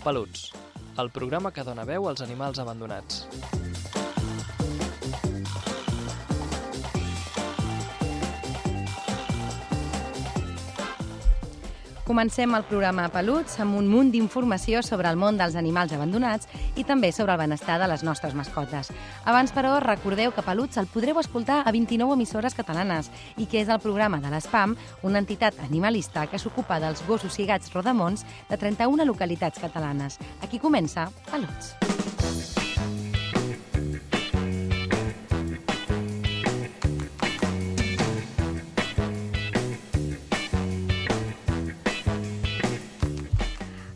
Peluts, el programa que dona veu als animals abandonats. Comencem el programa Peluts amb un munt d'informació sobre el món dels animals abandonats i també sobre el benestar de les nostres mascotes. Abans, però, recordeu que Peluts el podreu escoltar a 29 emissores catalanes i que és el programa de l'ESPAM, una entitat animalista que s'ocupa dels gossos i gats rodamons de 31 localitats catalanes. Aquí comença Peluts.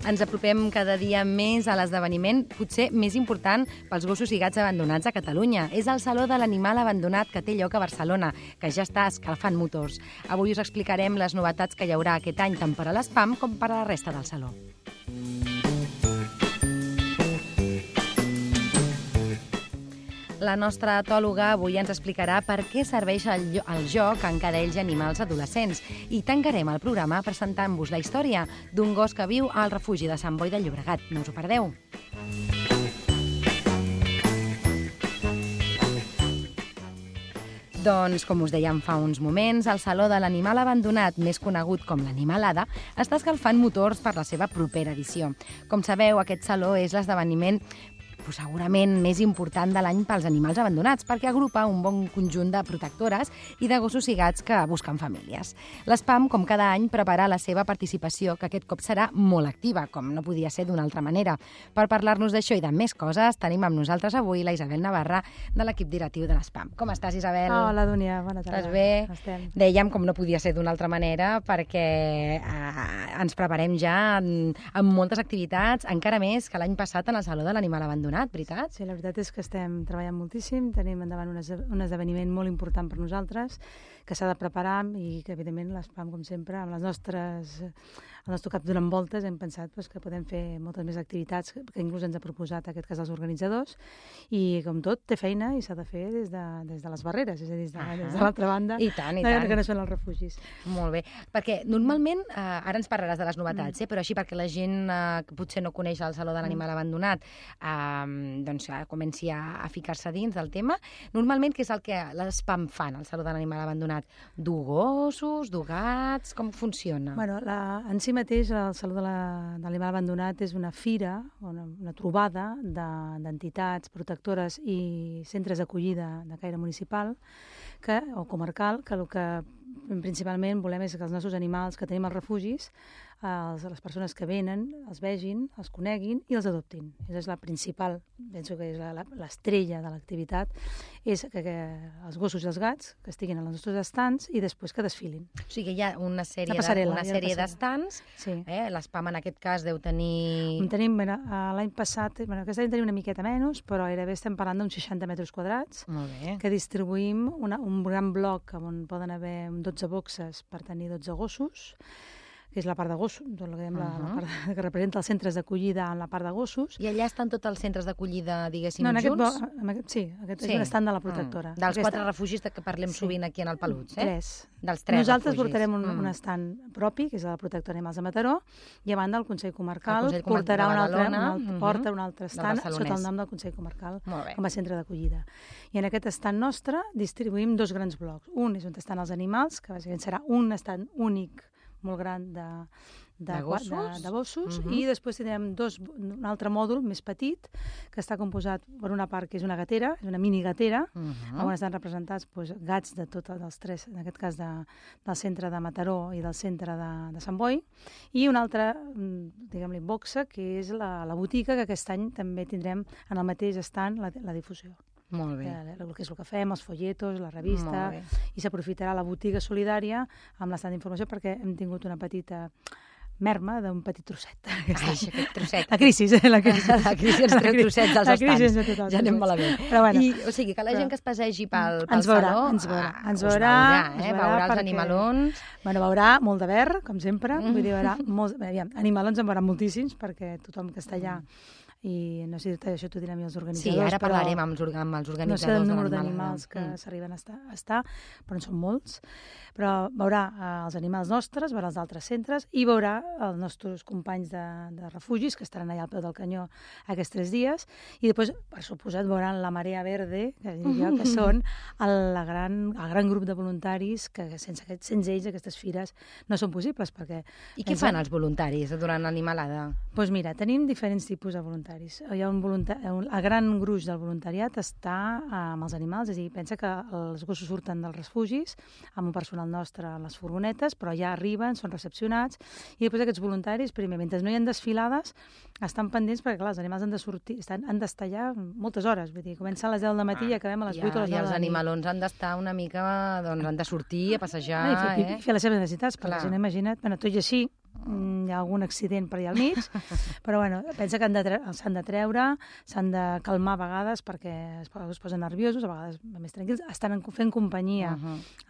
Ens apropem cada dia més a l'esdeveniment potser més important pels gossos i gats abandonats a Catalunya. És el Saló de l'Animal Abandonat que té lloc a Barcelona, que ja està escalfant motors. Avui us explicarem les novetats que hi haurà aquest any tant per a l'ESPAM com per a la resta del Saló. La nostra etòloga avui ens explicarà per què serveix el joc en cadells i animals adolescents i tancarem el programa presentant-vos la història d'un gos que viu al refugi de Sant Boi de Llobregat. No us ho perdeu. Doncs, com us dèiem fa uns moments, el Saló de l'Animal Abandonat, més conegut com l'Animalada, està escalfant motors per la seva propera edició. Com sabeu, aquest saló és l'esdeveniment segurament més important de l'any pels animals abandonats, perquè agrupa un bon conjunt de protectores i de gossos i gats que busquen famílies. L'ESPAM, com cada any, prepara la seva participació, que aquest cop serà molt activa, com no podia ser d'una altra manera. Per parlar-nos d'això i de més coses, tenim amb nosaltres avui la Isabel Navarra, de l'equip directiu de l'ESPAM. Com estàs, Isabel? Hola, Dúnia, bona tarda. Estàs bé? Estem. Dèiem, com no podia ser d'una altra manera, perquè ens preparem ja amb moltes activitats, encara més que l'any passat en el Saló de l'Animal Abandonat, veritat? Sí, la veritat és que estem treballant moltíssim, tenim endavant un esdeveniment molt important per nosaltres, que s'ha de preparar i que, evidentment, l'ESPAM, com sempre, amb el nostre cap donant voltes, hem pensat que podem fer moltes més activitats que inclús ens ha proposat, en aquest cas, els organitzadors, i, com tot, té feina i s'ha de fer des de les barreres, és a dir, des de l'altra banda, I tant, i tant. que no són els refugis. Molt bé, perquè normalment, ara ens parlaràs de les novetats, però així perquè la gent que potser no coneix el Saló de l'Animal Abandonat doncs comenci a ficar-se dins del tema. Normalment, què és el que l'ESPAM fan al Saló de l'Animal Abandonat? Du gossos, du gats, com funciona? Bueno, en si mateix el Saló de l'Animal Abandonat és una fira, una trobada d'entitats protectores i centres d'acollida de caire municipal o comarcal, que el que principalment volem és que els nostres animals que tenim als refugis, les persones que venen, els vegin, els coneguin i els adoptin. Aquesta és la principal, penso que és l'estrella de l'activitat, és que els gossos i els gats que estiguin als nostres estants i després que desfilin. O sigui, hi ha una sèrie d'estants. Sí. L'ESPAM en aquest cas deu tenir... L'any passat, aquest any tenim una miqueta menys, però gairebé estem parlant d'uns 60 metres quadrats, que distribuïm un gran bloc on poden haver 12 boxes per tenir 12 gossos, que és la part de gossos, tot el que diem, la part que representa els centres d'acollida en la part de gossos. I allà estan tots els centres d'acollida, diguéssim, junts? Aquest és un estant de la protectora. Dels 4 refugis que parlem sovint aquí en el Peluts, eh? 3. Dels 3 Nosaltres refugis. portarem un estant propi, que és la protectora Animals de Mataró, i a banda el Consell Comarcal portarà porta un altre estant sota el nom del Consell Comarcal com a centre d'acollida. I en aquest estant nostre distribuïm 2 grans blocs. Un és on estan els animals, que bàsicament serà un estant únic molt gran de gossos, i després tindrem un altre mòdul més petit que està composat per una part que és una gatera, és una mini gatera, on estan representats gats de tots els 3, en aquest cas del centre de Mataró i del centre de Sant Boi, i una altra, diguem-li, boxa, que és la botiga, que aquest any també tindrem en el mateix estant la difusió. Molt bé. Que és el que fem, els folletos, la revista, i s'aprofitarà la botiga solidària amb l'estat d'informació perquè hem tingut una petita merma d'un petit trosset. Aquest trosset. La crisi. La crisi ens treu trossets dels estants. Ja anem malament. O sigui, que la gent que es passegi pel saló ens veurà els animalons. Veurà molt de verd, com sempre. Vull dir, veurà molts... Animalons en veurà moltíssims, perquè tothom que està allà i no sé si això t'ho direm els organitzadors. Sí, ara parlarem amb els organitzadors. No sé el número d'animals que s'arriben a estar, però en són molts. Però veurà els animals nostres, veurà els d'altres centres i veurà els nostres companys de refugis que estaran allà al peu del canyó aquests 3 dies i després, per suposat, veuran la Marea Verde, que són el gran grup de voluntaris que sense ells aquestes fires no són possibles. I què fan els voluntaris durant l'animalada? Doncs mira, tenim diferents tipus de voluntaris. Hi ha el gran gruix del voluntariat està amb els animals, és a dir, pensa que els gossos surten dels refugis amb un personal nostre a les furgonetes, però ja arriben, són recepcionats, i després aquests voluntaris, primer, mentre no hi ha desfilades, estan pendents perquè, clar, els animals han de sortir, han d'estar allà moltes hores, vull dir, comença a les 10 del matí i acabem a les 8 o les 9 de la nit. I els animalons han d'estar una mica, doncs han de sortir a passejar, i fer les seves necessitats, perquè si no, imagina't, tot i així, hi ha algun accident per allà al mig, però bueno, pensa que s'han de treure, s'han de calmar a vegades perquè es posen nerviosos, a vegades més tranquils, estan fent companyia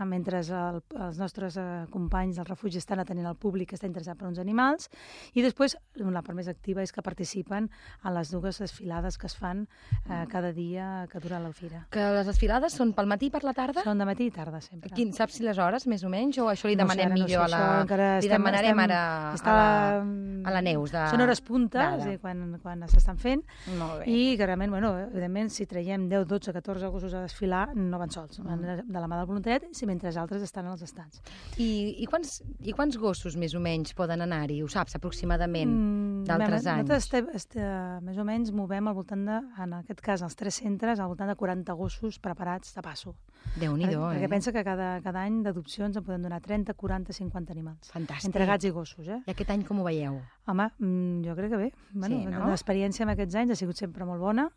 mentre els nostres companys del refugi estan atenent al públic que està interessat per uns animals, i després la part més activa és que participen a les 2 desfilades que es fan cada dia que dura la fira. Que les desfilades són pel matí i per la tarda? Són de matí i tarda, sempre. Saps si les hores, més o menys, o això li demanem millor a la... Li demanarem ara a la Neus. Són hores punta, quan s'estan fent, i que realment, evidentment, si traiem 10, 12, 14 gossos a desfilar, no van sols, van de la mà del voluntariat, mentre altres estan als estats. I quants gossos, més o menys, poden anar-hi? Ho saps, aproximadament, d'altres anys? Nosaltres, més o menys, movem al voltant de, en aquest cas, als 3 centres, al voltant de 40 gossos preparats de passo. Déu-n'hi-do, Perquè pensa que cada any d'adopcions en podem donar 30, 40, 50 animals. Fantàstic. Entre gats i gossos, I aquest any com ho veieu? Home, jo crec que bé. L'experiència en aquests anys ha sigut sempre molt bona.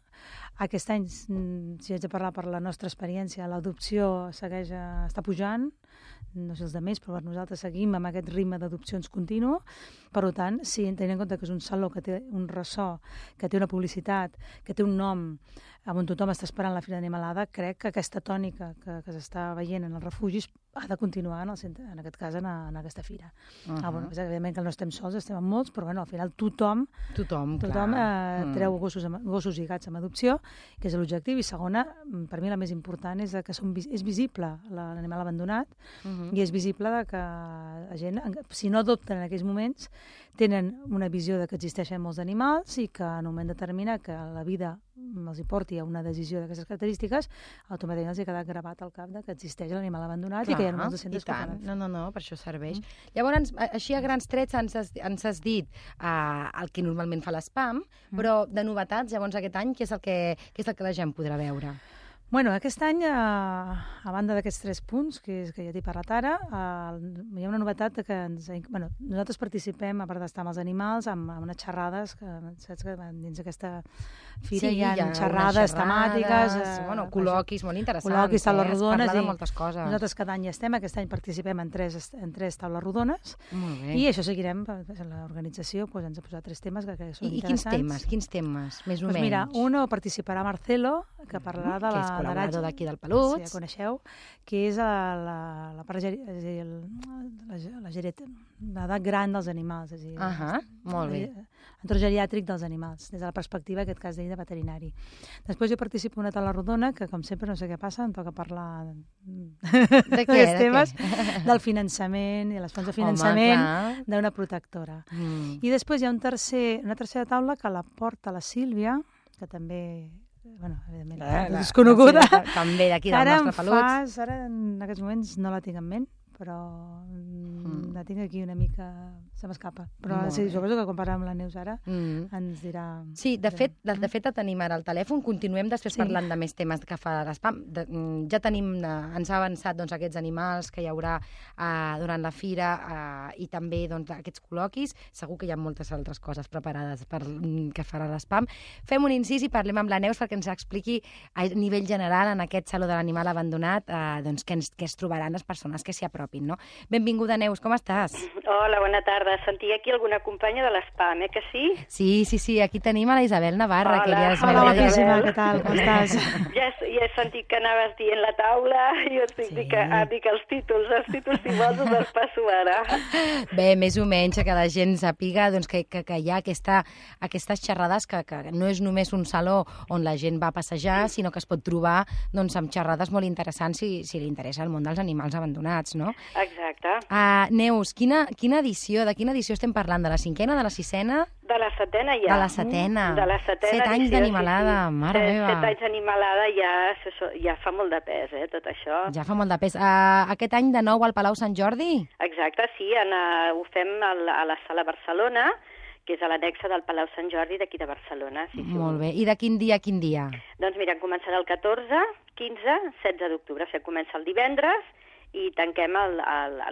Aquest any, si haig de parlar per la nostra experiència, l'adopció està pujant, no sé els de més, però per nosaltres seguim amb aquest ritme d'adopcions continu. Per tant, si tenint en compte que és un saló que té un ressò, que té una publicitat, que té un nom, on tothom està esperant la Fira d'Animalada, crec que aquesta tònica que s'està veient en els refugis ha de continuar, en aquest cas, en aquesta fira. Evidentment que no estem sols, estem amb molts, però al final tothom treu gossos i gats amb adopció, que és l'objectiu, i segona, per mi la més important, és que és visible l'animal abandonat, i és visible que la gent, si no adopten en aquells moments, tenen una visió de que existeixen molts animals i que en un moment determinat que la vida els hi porti a una decisió d'aquestes característiques, automàticament els ha quedat gravat al cap que existeix l'animal abandonat i que hi ha molts centres cooperativs. No, per això serveix. Llavors, així a grans trets ens has dit el que normalment fa l'SPAM, però de novetats, llavors aquest any, què és el que la gent podrà veure? Bueno, aquest any, a banda d'aquests 3 punts que ja t'he parlat ara, hi ha una novetat que nosaltres participem, a part d'estar amb els animals, amb unes xerrades, que saps que dins d'aquesta fira hi ha xerrades temàtiques, col·loquis molt interessants, col·loquis, taules rodones, parlar de moltes coses. Nosaltres cada any hi estem, aquest any participem en 3 taules rodones, i això seguirem, l'organització ens ha posat 3 temes que són interessants. I quins temes, més o menys? Mira, un participarà Marcelo, que parlarà de la col·laborador d'aquí del Peluts. Sí, ja coneixeu, que és l'edat gran dels animals, és a dir, molt bé. Entorn geriàtric dels animals, des de la perspectiva, en aquest cas d'ell, de veterinari. Després jo participo en una taula rodona, que com sempre no sé què passa, em toca parlar d'aquests temes, del finançament i les fonts de finançament d'una protectora. I després hi ha una tercera taula que la porta la Sílvia, que també... evidentment, desconeguda. També d'aquí del nostre Peluts. Ara, en aquests moments, no la tinc en ment, però la tinc aquí una mica... se m'escapa. Però sí, suposo que quan parlem amb la Neus ara ens dirà... Sí, de fet la tenim ara al telèfon. Continuem després parlant de més temes que fa l'SPAM. Ja tenim, ens ha avançat aquests animals que hi haurà durant la fira i també aquests col·loquis. Segur que hi ha moltes altres coses preparades que farà l'SPAM. Fem un incís i parlem amb la Neus perquè ens expliqui a nivell general en aquest Saló de l'Animal Abandonat què es trobaran les persones que s'hi apropin. apropin, no? Benvinguda, Neus, com estàs? Hola, bona tarda. Sentia aquí alguna companya de l'ESPAM, que sí? Sí, aquí tenim a la Isabel Navarra. Hola, guapíssima, què tal, com estàs? Ja he sentit que anaves dient la taula, i jo dic els títols si vols us els passo ara. Bé, més o menys, que la gent sàpiga doncs, que hi ha aquestes xerrades que no és només un saló on la gent va a passejar, sinó que es pot trobar doncs, amb xerrades molt interessants si li interessa el món dels animals abandonats, no? Exacte. Neus, de quina edició estem parlant? De la 5ª, de la 6ª? De la 7ª ja. De la 7ª. De la 7 anys d'animalada, mare meva. 7 anys d'animalada ja fa molt de pes, tot això. Ja fa molt de pes. Aquest any de nou al Palau Sant Jordi? Exacte, sí, ho fem a la Sala Barcelona, que és a l'annexa del Palau Sant Jordi d'aquí de Barcelona. Sí. Molt bé. I de quin dia a quin dia? Doncs mira, començarà el 14, 15, 16 d'octubre. O sigui, comença el divendres i tanquem el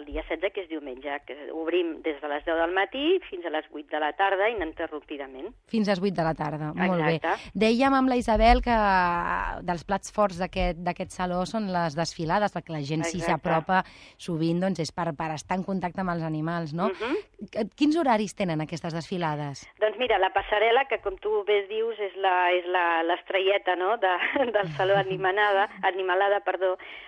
dia 16, que és diumenge. Que obrim des de les 10 del matí fins a les 8 de la tarda, ininterrompidament. Fins a les 8 de la tarda, molt Exacte. bé. Dèiem amb la Isabel que dels plats forts d'aquest saló són les desfilades, perquè la gent si s'apropa sovint doncs, és per estar en contacte amb els animals, no? Quins horaris tenen aquestes desfilades? Doncs mira, la passarel·la, que com tu bé dius és l'estrelleta, no?, del saló Animalada,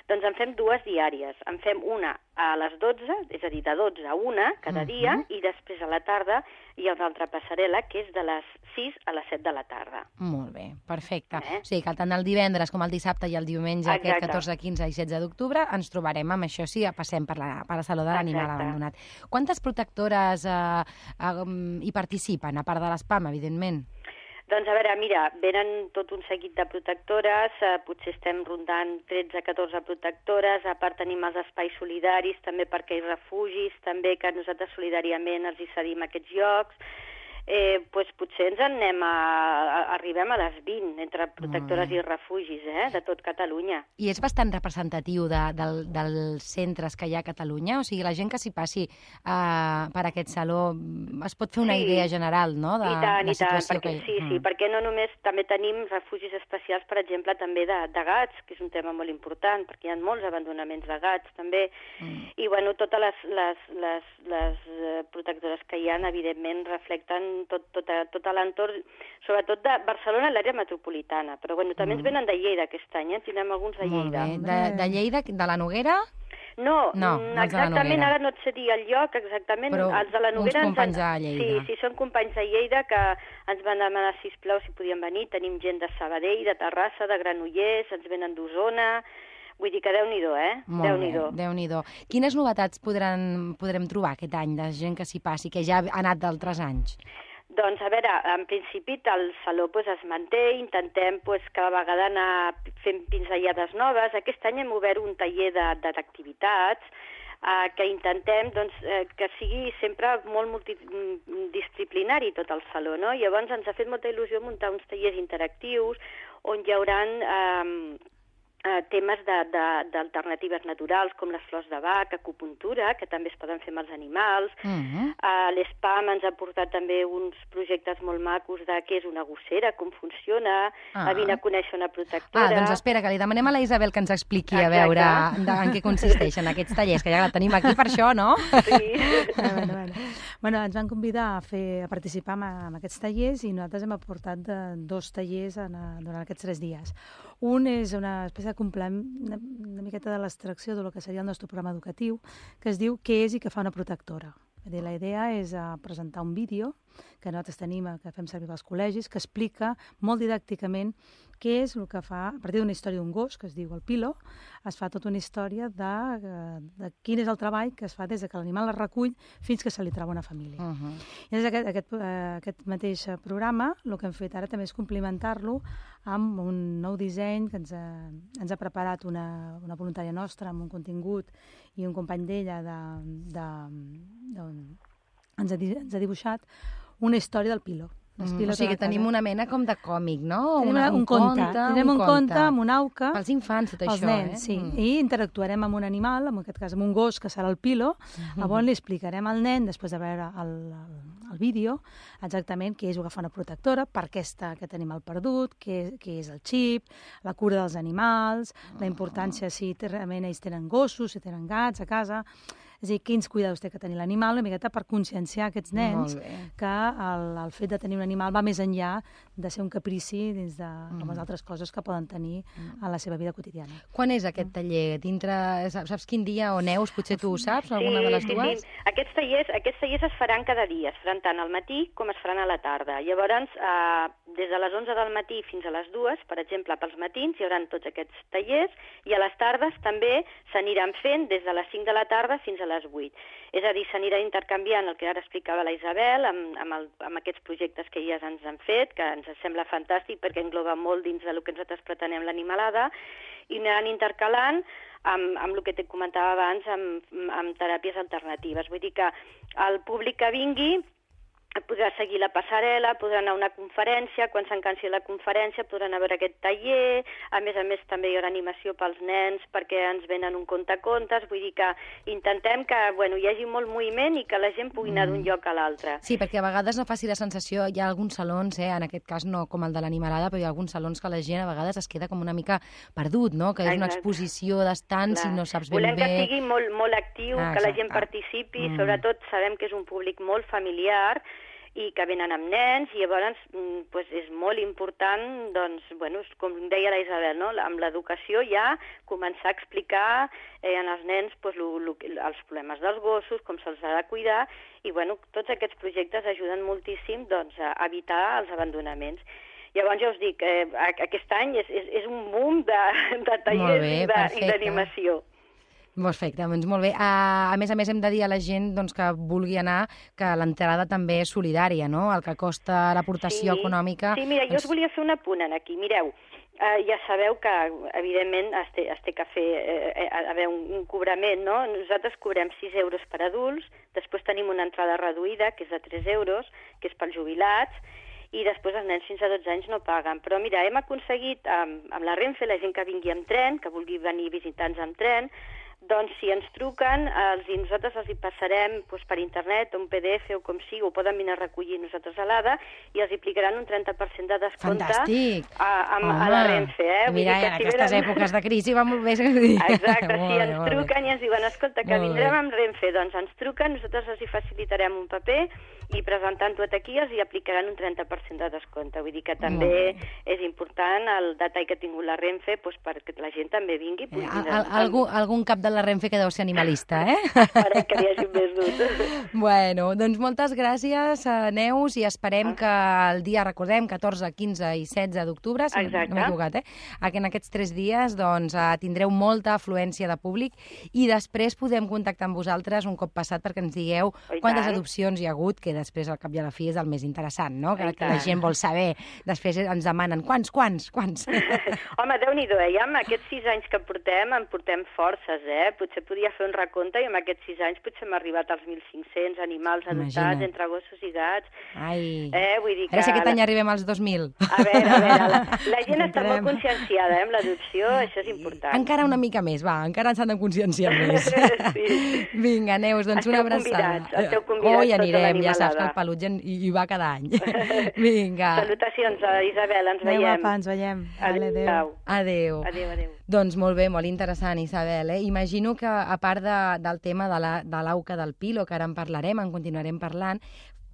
doncs en fem 2 diàries. En fem una a les 12, és a dir, de 12 a 1 cada dia, i després a la tarda hi ha una altra passarel·la que és de les 6 a les 7 de la tarda. Molt bé, perfecte. O sigui que tant el divendres com el dissabte i el diumenge, aquest 14, 15 i 16 d'octubre, ens trobarem amb això si passem per la Saló de l'Animal Abandonat. Quantes protectores hi participen, a part de l'ESPAM, evidentment? Doncs a veure, mira, venen tot un seguit de protectores, potser estem rondant 13-14 protectores, a part tenim els espais solidaris, també perquè hi ha refugis, també que nosaltres solidàriament els hi cedim aquests llocs. Doncs potser arribem a les 20 entre protectores i refugis de tot Catalunya. I és bastant representatiu dels centres que hi ha a Catalunya? O sigui, la gent que s'hi passi per aquest saló es pot fer una idea general, no?, de la situació que hi ha. Sí, perquè no només també tenim refugis especials, per exemple, també de gats, que és un tema molt important, perquè hi ha molts abandonaments de gats, també. I, bueno, totes les protectores que hi ha, evidentment, reflecten tot l'entorn, sobretot de Barcelona i l'àrea metropolitana. Però bueno, també ens venen de Lleida aquest any, tindrem alguns de Lleida. Molt bé. De Lleida, de la Noguera? No, exactament, ara no et sé dir el lloc exactament. Però els de la Noguera uns companys de Lleida. Sí, són companys de Lleida que ens van demanar, sisplau, si podien venir. Tenim gent de Sabadell, de Terrassa, de Granollers, ens venen d'Osona. Vull dir que Déu-n'hi-do, Déu-n'hi-do. Quines novetats podrem trobar aquest any de gent que s'hi passi, que ja ha anat d'altres anys? Doncs, a veure, en principi el saló es manté, intentem cada vegada anar fent pinzellades noves. Aquest any hem obert un taller d'activitats que intentem que sigui sempre molt multidisciplinari tot el saló, no? Llavors ens ha fet molta il·lusió muntar uns tallers interactius on hi hauran temes d'alternatives naturals com les flors de Bach, acupuntura, que també es poden fer amb els animals. L'ESPAM ens ha portat també uns projectes molt macos de què és una gossera, com funciona, vine a conèixer una protectora. Doncs espera, que li demanem a la Isabel que ens expliqui a veure en què consisteixen aquests tallers, que ja la tenim aquí per això, no? Sí. Bueno, ens van convidar a participar en aquests tallers i nosaltres hem aportat 2 tallers durant aquests 3 dies. Un és una espècie de complement, una miqueta de l'extracció del que seria el nostre programa educatiu, que es diu Què és i què fa una protectora. La idea és presentar un vídeo que nosaltres tenim, que fem servir als col·legis, que explica molt didàcticament què és el que fa, a partir d'una història d'un gos, que es diu el Pilo, es fa tota una història de quin és el treball que es fa des que l'animal es recull fins que se li troba una família. I aquest mateix programa, el que hem fet ara també és complementar-lo amb un nou disseny que ens ha preparat una voluntària nostra amb un contingut i un company d'ella ens ha dibuixat una història del Pilo. O sigui, tenim una mena com de còmic, no? Tenim un conte. Tenim un conte amb una auca. Pels infants, tot això, els nens, sí. I interactuarem amb un animal, en aquest cas amb un gos, que serà el Pilo. Llavors li explicarem al nen, després de veure el vídeo, exactament què és agafar una protectora, per què està aquest animal perdut, què és el xip, la cura dels animals, la importància si realment ells tenen gossos, si tenen gats a casa. És a dir, quins cuidados té que tenir l'animal, una miqueta per conscienciar aquests nens que el fet de tenir un animal va més enllà de ser un caprici dins de les altres coses que poden tenir a la seva vida quotidiana. Quan és aquest taller? Saps quin dia o Neus? Potser tu ho saps, alguna de les dues? Sí. Aquests tallers es faran cada dia, es faran tant al matí com es faran a la tarda. Llavors, des de les 11 del matí fins a les 2, per exemple, pels matins hi haurà tots aquests tallers i a les tardes també s'aniran fent des de les 5 de la tarda fins a les 8. És a dir, s'anirà intercanviant el que ara explicava la Isabel amb aquests projectes que elles ens han fet, que ens sembla fantàstic perquè engloba molt dins del que nosaltres pretenem l'animalada, i aniran intercalant amb el que te comentava abans, amb teràpies alternatives. Vull dir que el públic que vingui podrà seguir la passarel·la, podrà anar a una conferència, quan s'encansi la conferència podran anar a veure aquest taller, a més també hi haurà animació pels nens perquè ens venen un contacontes, vull dir que intentem que hi hagi molt moviment i que la gent pugui anar d'un lloc a l'altre. Sí, perquè a vegades no faci la sensació, hi ha alguns salons, en aquest cas no com el de l'animalada, però hi ha alguns salons que la gent a vegades es queda com una mica perdut, no? Que és una exposició d'estants i no saps ben bé... Volem que sigui molt actiu, que la gent participi, sobretot sabem que és un públic molt familiar i que venen amb nens, i llavors és molt important, com deia la Isabel, no? Amb l'educació ja començar a explicar als nens els problemes dels gossos, com se'ls ha de cuidar, i tots aquests projectes ajuden moltíssim a evitar els abandonaments. Llavors ja us dic, aquest any és un boom de tallers i d'animació. Perfecte, doncs molt bé. A més hem de dir a la gent que vulgui anar que l'entrada també és solidària, no? El que costa l'aportació econòmica... Sí, mira, jo us volia fer un apunt aquí. Mireu, ja sabeu que, evidentment, es té que fer haver un cobrament, no? Nosaltres cobrem 6 euros per adults, després tenim una entrada reduïda, que és de 3 euros, que és pels jubilats, i després els nens fins a 12 anys no paguen. Però mira, hem aconseguit amb la Renfe, la gent que vingui amb tren, que vulgui venir visitants amb tren, doncs si ens truquen, nosaltres els hi passarem per internet, un PDF o com sigui, ho poden venir a recollir nosaltres a l'ADA i els hi aplicaran un 30% de descompte a la Renfe. Mira, en aquestes èpoques de crisi va molt bé. Exacte, si ens truquen i ens diuen, escolta, que vindrem amb Renfe, doncs ens truquen, nosaltres els hi facilitarem un paper i presentant-ho aquí els hi aplicaran un 30% de descompte. Vull dir que també és important el detall que ha tingut la Renfe perquè la gent també vingui. Algun cap de la Renfe que deu ser animalista, Esperem que n'hi hagi més d'un. Bueno, doncs moltes gràcies, Neus, i esperem que el dia, recordem, 14, 15 i 16 d'octubre, si no m'he equivocat, que en aquests 3 dies tindreu molta afluència de públic i després podem contactar amb vosaltres un cop passat perquè ens digueu quantes adopcions hi ha hagut, que després al cap i a la fi és el més interessant, no? Que la gent vol saber. Després ens demanen quants? Home, Déu-n'hi-do, ja amb aquests 6 anys que portem, en portem forces, Potser podia fer un recompte i amb aquests 6 anys potser hem arribat als 1.500 animals adoptats entre gossos i gats. Ai, vull dir a veure si aquest any arribem als 2.000. A veure, la gent està molt conscienciada amb l'adopció, això és important. Encara una mica més, encara ens han de conscienciar més. Vinga, Neus, doncs una abraçada. Esteu convidats hi anirem, ja saps que el peluig hi va cada any. Vinga. Salutacions, Isabel, ens veiem. Adéu, ens veiem. Adéu. Adéu. Doncs molt bé, molt interessant, Isabel. Imagino que, a part del tema de l'auca del Pilo, que ara en parlarem, en continuarem parlant,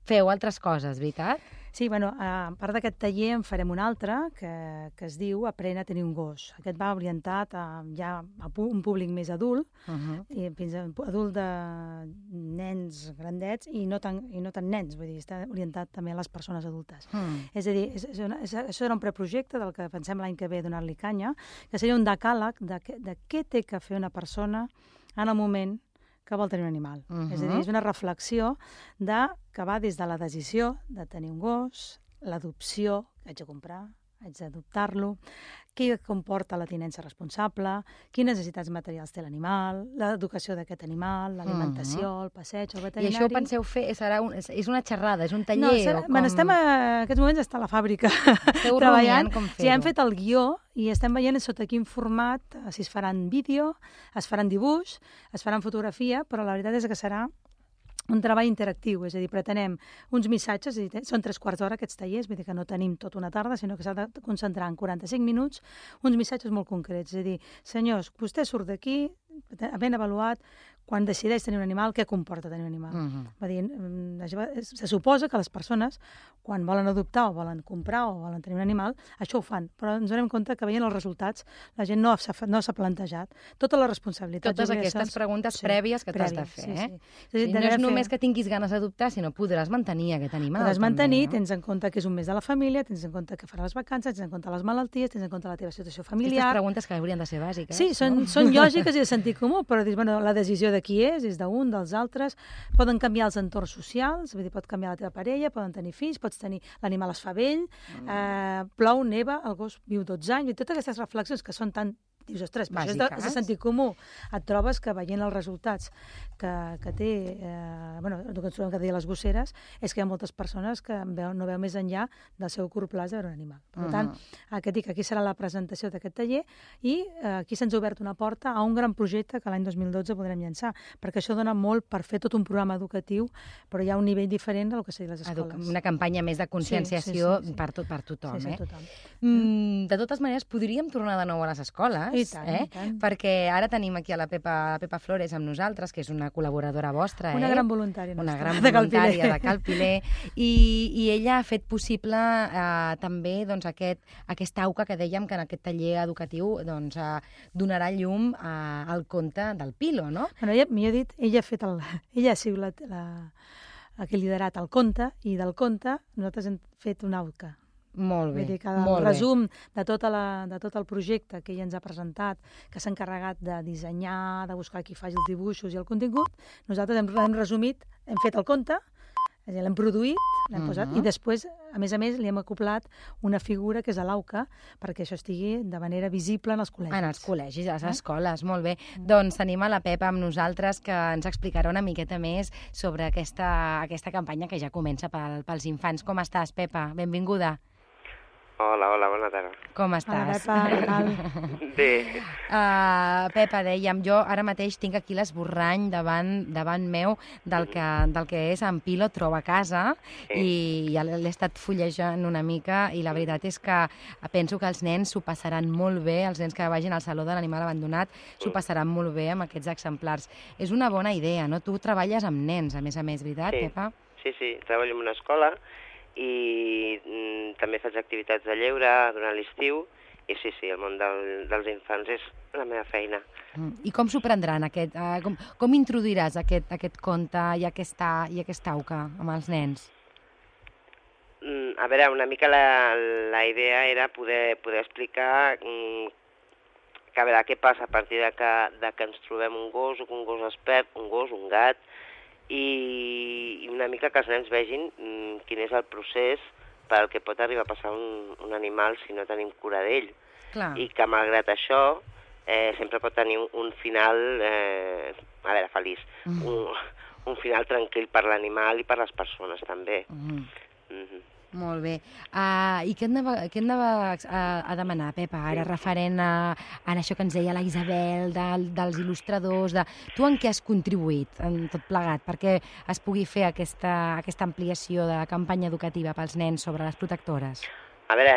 feu altres coses, veritat? Sí, a part d'aquest taller en farem un altre que es diu Aprèn a tenir un gos. Aquest va orientat ja a un públic més adult, i fins a adult de nens grandets i no tan nens, vull dir, està orientat també a les persones adultes. És a dir, això era un preprojecte del que pensem l'any que ve donar-li canya, que seria un decàleg de què té que fer una persona en el moment que vol tenir un animal. És a dir, és una reflexió que va des de la decisió de tenir un gos, l'adopció, haig de comprar, haig d'adoptar-lo, què comporta la tinença responsable, quines necessitats materials té l'animal, l'educació d'aquest animal, l'alimentació, el passeig, el veterinari... I això ho penseu fer, és una xerrada, és un taller? En aquests moments està a la fàbrica treballant. Ja hem fet el guió i estem veient sota quin format, si es faran vídeo, es faran dibuix, es faran fotografia, però la veritat és que serà un treball interactiu, és a dir, pretenem uns missatges, és a dir, són 3/4 d'hora aquests tallers, vull dir que no tenim tota una tarda, sinó que s'ha de concentrar en 45 minuts, uns missatges molt concrets, és a dir, senyors, vostè surt d'aquí, ben avaluat, quan decideix tenir un animal, què comporta tenir un animal? Va dir, se suposa que les persones, quan volen adoptar o volen comprar o volen tenir un animal, això ho fan, però ens donem compte que veient els resultats la gent no s'ha plantejat tota la responsabilitat. Totes aquestes preguntes prèvies que t'has de fer, no és només que tinguis ganes d'adoptar, sinó podràs mantenir aquest animal. Podràs mantenir, tens en compte que és un mes de la família, tens en compte que farà les vacances, tens en compte les malalties, tens en compte la teva situació familiar. Aquestes preguntes que haurien de ser bàsiques. Sí, són lògiques i de sentit comú, però dius, bueno, la decisió de qui és d'un, dels altres, poden canviar els entorns socials, vull dir, pot canviar la teva parella, poden tenir fills, pots tenir l'animal es fa vell, plou, neva, el gos viu 12 anys, i totes aquestes reflexions que són tan... Dius, ostres, però això és de sentit comú. Et trobes que veient els resultats que té, el que ens trobem cada dia a les gosseres, és que hi ha moltes persones que no veu més enllà del seu curt plaç de veure un animal. Per tant, aquí serà la presentació d'aquest taller i aquí se'ns ha obert una porta a un gran projecte que l'any 2012 podrem llançar, perquè això dona molt per fer tot un programa educatiu, però hi ha un nivell diferent del que seria les escoles. Una campanya més de conscienciació per tothom. Sí, tothom. De totes maneres, podríem tornar de nou a les escoles, i tant. Perquè ara tenim aquí a la Pepa Flores amb nosaltres, que és una col·laboradora vostra. Una gran voluntària. Una gran voluntària de Cal Piler. I ella ha fet possible també aquesta auca que dèiem que en aquest taller educatiu donarà llum al conte del Pilo, no? Millor dit, ella ha sigut la que ha liderat el conte, i del conte nosaltres hem fet una auca. Molt bé, vull dir que el resum de tot el projecte que ella ens ha presentat, que s'ha encarregat de dissenyar, de buscar qui faci els dibuixos i el contingut, nosaltres hem resumit, hem fet el conte, l'hem produït, l'hem posat, i després, a més, li hem acoplat una figura que és l'auca, perquè això estigui de manera visible en els col·legis. En els col·legis, a les escoles, molt bé. Doncs tenim a la Pepa amb nosaltres, que ens explicarà una miqueta més sobre aquesta campanya que ja comença pels infants. Com estàs, Pepa? Benvinguda. Hola, bona tarda. Com estàs? Hola, Pepa, què tal? Bé. Pepa, dèiem, jo ara mateix tinc aquí l'esborrany davant meu del que és en Pilo troba a casa, i ja l'he estat fullejant una mica, i la veritat és que penso que els nens s'ho passaran molt bé, els nens que vagin al Saló de l'Animal Abandonat s'ho passaran molt bé amb aquests exemplars. És una bona idea, no? Tu treballes amb nens, a més, veritat, Pepa? Sí, treballo en una escola, i també faig activitats de lleure durant l'estiu, i sí, el món dels infants és la meva feina. I com s'ho prendran? Com introduiràs aquest conte i aquesta auca amb els nens? A veure, una mica la idea era poder explicar què passa a partir de que ens trobem un gos, o que un gos es perd, un gos, un gat, i una mica que els nens vegin quin és el procés pel que pot arribar a passar un animal si no tenim cura d'ell. I que, malgrat això, sempre pot tenir un final, feliç, un final tranquil per l'animal i per les persones, també. Molt bé. I què hem de demanar, Pepa, ara referent a això que ens deia la Isabel, dels il·lustradors, tu en què has contribuït en tot plegat perquè es pugui fer aquesta ampliació de la campanya educativa pels nens sobre les protectores? A veure,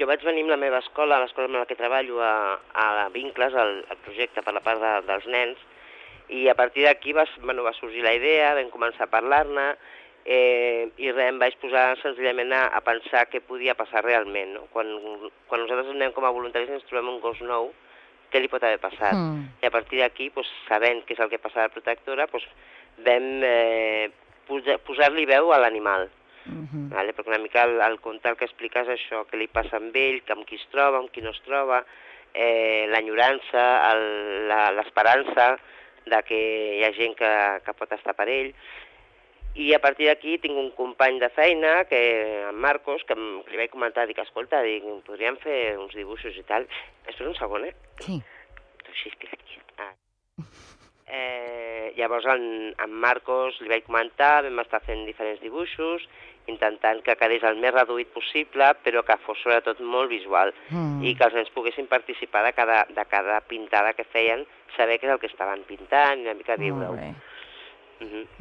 jo vaig venir amb la meva escola, l'escola amb la que treballo, a Vincles, al projecte per la part dels nens, i a partir d'aquí va sorgir la idea, vam començar a parlar-ne, i em vaig posar senzillament a pensar què podia passar realment, no? Quan nosaltres anem com a voluntaris i ens trobem un gos nou, què li pot haver passat? I a partir d'aquí, sabent què és el que passa a la protectora, vam posar-li veu a l'animal. Perquè una mica el conte el que explica és això, què li passa amb ell, amb qui es troba, amb qui no es troba, l'enyorança, l'esperança de que hi ha gent que pot estar per ell. I a partir d'aquí tinc un company de feina, en Marcos, que li vaig comentar, dic, escolta, podríem fer uns dibuixos i tal. Espera un segon, Sí. Així, espera aquí. Llavors, en Marcos li vaig comentar, vam estar fent diferents dibuixos, intentant que quedés el més reduït possible, però que fos sobretot molt visual, i que els nens poguessin participar de cada pintada que feien, saber què és el que estaven pintant i una mica viure-ho.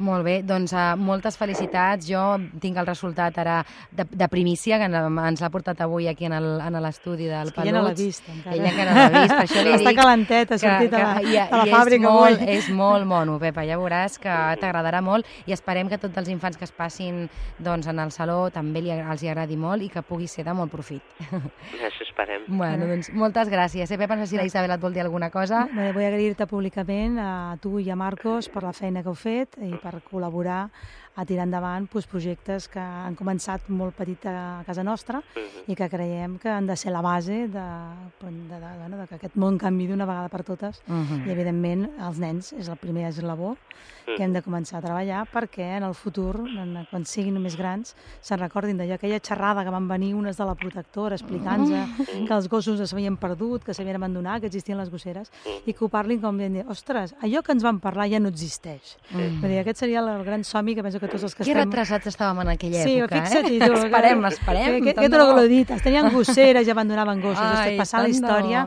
Molt bé, doncs moltes felicitats. Jo tinc el resultat ara de primícia, que ens l'ha portat avui aquí en l'estudi del Peluts. Ella no l'ha vist, encara. Ella encara no l'ha vist, per això li dic... Està calentet, ha sortit a la fàbrica avui. És molt mono, Pepa, ja veuràs que t'agradarà molt i esperem que tots els infants que es passin en el saló també els agradi molt i que pugui ser de molt profit. Això esperem. Bueno, doncs moltes gràcies. Pepa, no sé si la Isabel et vol dir alguna cosa. Vull agrair-te públicament a tu i a Marcos per la feina que heu fet i per col·laborar a tirar endavant projectes que han començat molt petit a casa nostra i que creiem que han de ser la base que aquest món canvi d'una vegada per totes i, evidentment, els nens és el primer eslabó que hem de començar a treballar perquè en el futur, quan siguin més grans, se'n recordin d'allò, aquella xerrada que van venir unes de la protectora explicant-nos que els gossos s'havien perdut, que s'havien abandonat, que existien les gosseres, i que ho parlin com dient, ostres, allò que ens van parlar ja no existeix. Aquest seria el gran somni que penso que tots els que estem... Que retrasats estàvem en aquella època, fixa't-hi tu. Esperem. Aquest no l'he dit, tenien gosseres i abandonaven gossos. Passant la història,